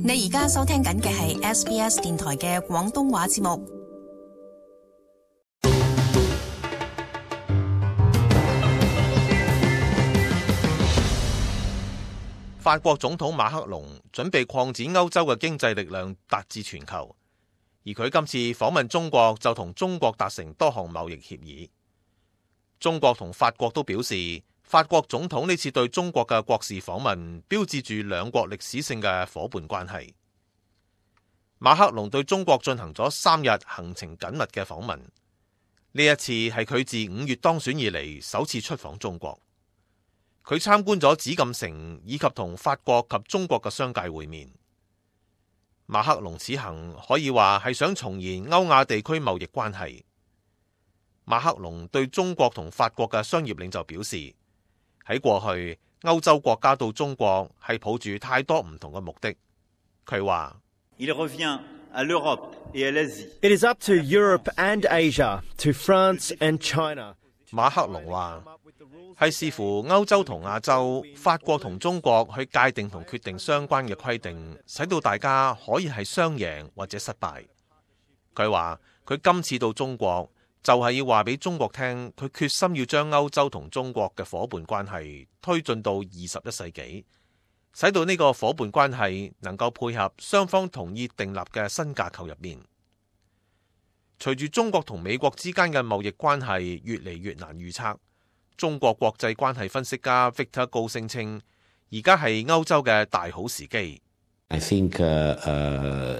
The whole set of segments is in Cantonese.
你而家收聽緊嘅係 SBS 電台嘅廣東話節目。法國總統馬克龍準備擴展歐洲嘅經濟力量達至全球，而佢今次訪問中國就同中國達成多項貿易協議。中國同法國都表示，法國總統呢次對中國嘅國事訪問標誌住兩國歷史性嘅夥伴關係。馬克龍對中國進行咗3日行程緊密嘅訪問，呢一次係佢自5月當選以嚟首次出訪中國。佢參觀咗紫禁城以及同法國及中國嘅商界會面。馬克龍此行可以話係想重燃歐亞地區貿易關係。馬克龍對中國同法國嘅商業領袖表示，喺過去歐洲國家到中國係抱住太多唔同嘅目的。佢話：Il revient à l'Europe et à l'Asie. It is up to Europe and Asia, to France and China. 馬克龍話係視乎歐洲同亞洲、法國同中國去界定同決定相關嘅規定，使到大家可以係雙贏或者失敗。佢話佢今次到中國就係要話俾中國聽，佢決心要將歐洲同中國嘅伙伴關係推進到21世紀，使到呢個伙伴關係能夠配合雙方同意訂立嘅新架構入面。隨住中國同美國之間嘅貿易關係越嚟越難預測，中國國際關係分析家 Victor 高聲稱，而家係歐洲嘅大好時機。I think,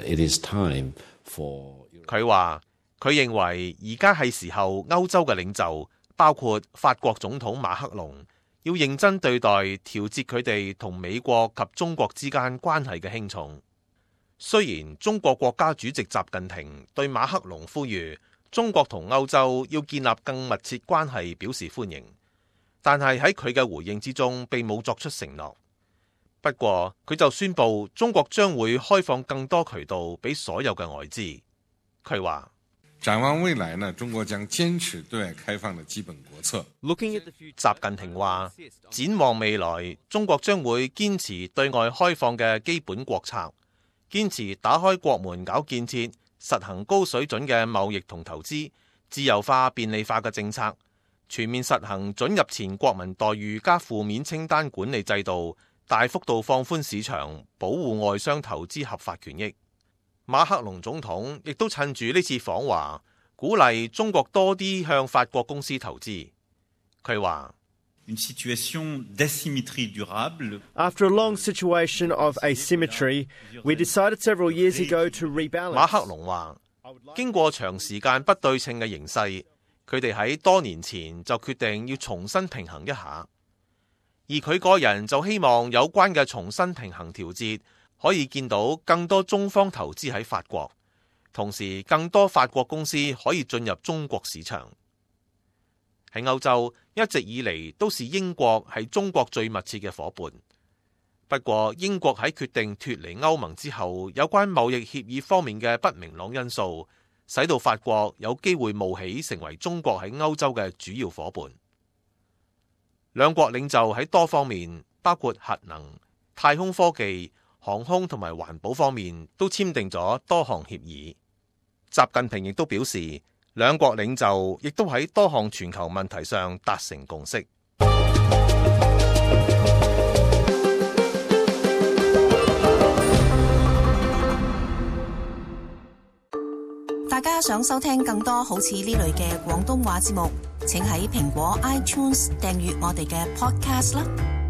it is time for... 佢話佢認為而家係時候歐洲嘅領袖，包括法國總統馬克龍，要認真對待調節佢哋同美國及中國之間關係嘅輕重。雖然中國國家主席習近平對馬克龍呼籲中國同歐洲要建立更密切關係表示歡迎，但係喺佢嘅回應之中並冇作出承諾。不過佢就宣布中國將會開放更多渠道俾所有嘅外資。佢話展望未來呢，中國將堅持對外開放的基本國策。習近平話，展望未來，中國將會堅持對外開放嘅基本國策，堅持打開國門搞建設，實行高水準嘅貿易同投資，自由化便利化嘅政策，全面實行准入前國民待遇加負面清單管理制度，大幅度放寬市場，保護外商投資合法權益。馬克龍總統亦都趁住呢次訪華，鼓勵中國多啲向法國公司投資。佢話：After a long situation of asymmetry, we decided several years ago to rebalance. 馬克龍話，經過長時間不對稱嘅形勢，佢哋喺多年前就決定要重新平衡一下。而佢個人就希望有關嘅重新平衡調節，可以見到更多中方投資喺法國，同時更多法國公司可以進入中國市場。喺歐洲一直以嚟都是英國係中國最密切嘅夥伴。不過英國喺決定脫離歐盟之後，有關貿易協議方面嘅不明朗因素，使到法國有機會冒起成為中國喺歐洲嘅主要夥伴。兩國領袖喺多方面，包括核能、太空科技、航空同埋環保方面，都簽訂咗多項協議。習近平亦都表示，兩國領袖亦都喺多項全球問題上達成共識。大家想收聽更多好似呢類嘅廣東話節目，請喺蘋果 iTunes 訂閱我哋嘅 Podcast 啦。